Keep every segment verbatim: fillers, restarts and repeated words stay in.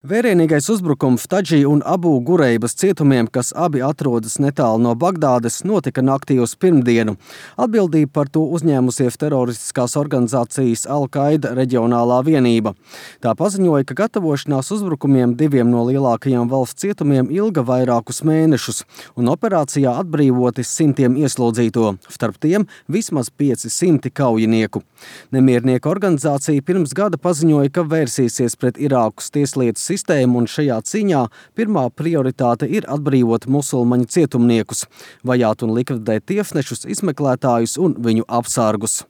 Vērienīgais uzbrukums Tadži un Abu Gureibas cietumiem, kas abi atrodas netālu no Bagdādes, notika naktī uz pirmdienu. Atbildību par to uzņēmusies teroristiskās organizācijas Al-Qaida reģionālā vienība. Tā paziņoja, ka gatavošanās uzbrukumiem diviem no lielākajiem valsts cietumiem ilga vairākus mēnešus, un operācijā atbrīvoti simtiem ieslodzīto, starp tiem vismaz pieci simti kaujinieku. Nemiernieku organizācija pirms gada paziņoja, ka vērsīsies pret Irākas tieslietu sistēmu, un šajā cīņā pirmā prioritāte ir atbrīvot musulmaņu cietumniekus, vajāt un likvidēt tiesnešus, izmeklētājus un viņu apsargus.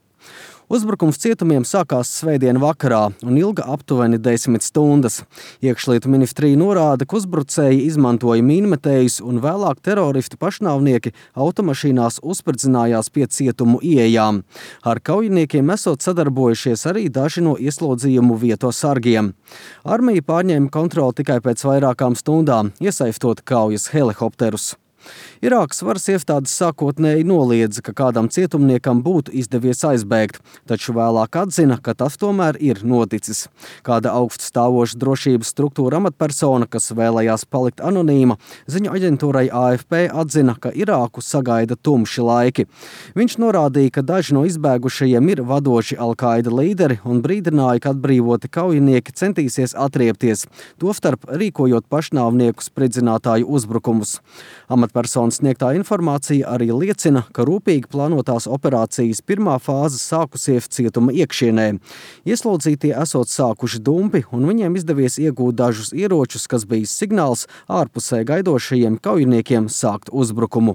Uzbrukums cietumiem sākās svētdien vakarā un ilga aptuveni desmit stundas. Iekšlietu ministrija norāda, ka uzbrucēji izmantoja mīnmetējus un vēlāk teroristu pašnāvnieki automašīnās uzspridzinājās pie cietumu ieejām. Ar kaujiniekiem esot sadarbojušies arī daži no ieslodzījumu vieto sargiem. Armija pārņēma kontroli tikai pēc vairākām stundām, iesaistot kaujas helikopterus. Irākas varas iestādes sākotnēji noliedza, ka kādam cietumniekam būtu izdevies aizbēgt, taču vēlāk atzina, ka tas tomēr ir noticis. Kāda augststāvoša drošības struktūra amatpersona, kas vēlējās palikt anonīma, ziņu aģentūrai A F P atzina, ka Irāku sagaida tumši laiki. Viņš norādīja, ka daži no izbēgušajiem ir vadoši Al-Qaida līderi un brīdināja, ka atbrīvoti kaujinieki centīsies atriepties, tostarp rīkojot pašnāvnieku spridzinātāju uzbrukumus. Amatpersonas sniegtā informācija arī liecina, ka rūpīgi plānotās operācijas pirmā fāze sākusies cietuma iekšienē. Ieslodzītie esot sākuši dumpi, un viņiem izdevies iegūt dažus ieročus, kas bija signāls ārpusē gaidošajiem kaujiniekiem sākt uzbrukumu.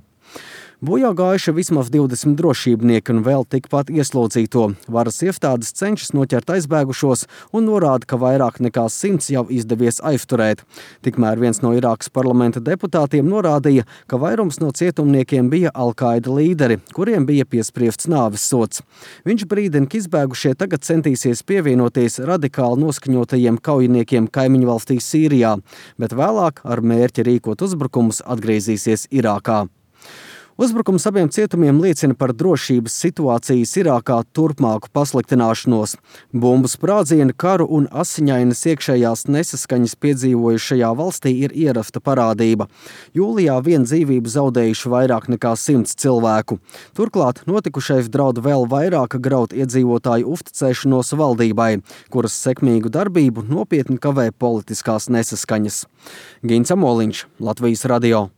Bojā gājuši vismaz divdesmit drošībnieki un vēl tikpat ieslodzīto. Varas iestādes cenšas noķert aizbēgušos un norāda, ka vairāk nekā simts jau izdevies aizturēt. Tikmēr viens no Irākas parlamenta deputātiem norādīja, ka vairums no cietumniekiem bija Al-Qaida līderi, kuriem bija piespriests nāves sods. Viņš brīdina, ka izbēgušie tagad centīsies pievienoties radikāli noskaņotajiem kaujiniekiem kaimiņu valstī Sīrijā, bet vēlāk ar mērķi rīkot uzbrukumus atgriezīsies Irākā. Uzbrukums abiem cietumiem liecina par drošības situācijas Irākā turpmāku pasliktināšanos. Bumbu sprādzieni, karu un asiņainas iekšējās nesaskaņas piedzīvojušajā valstī ir ierasta parādība. Jūlijā vien dzīvību zaudējuši vairāk nekā simts cilvēku. Turklāt notikušais draud vēl vairāk graut iedzīvotāju uzticēšanos valdībai, kuras sekmīgu darbību nopietni kavē politiskās nesaskaņas. Gins Amoliņš, Latvijas radio.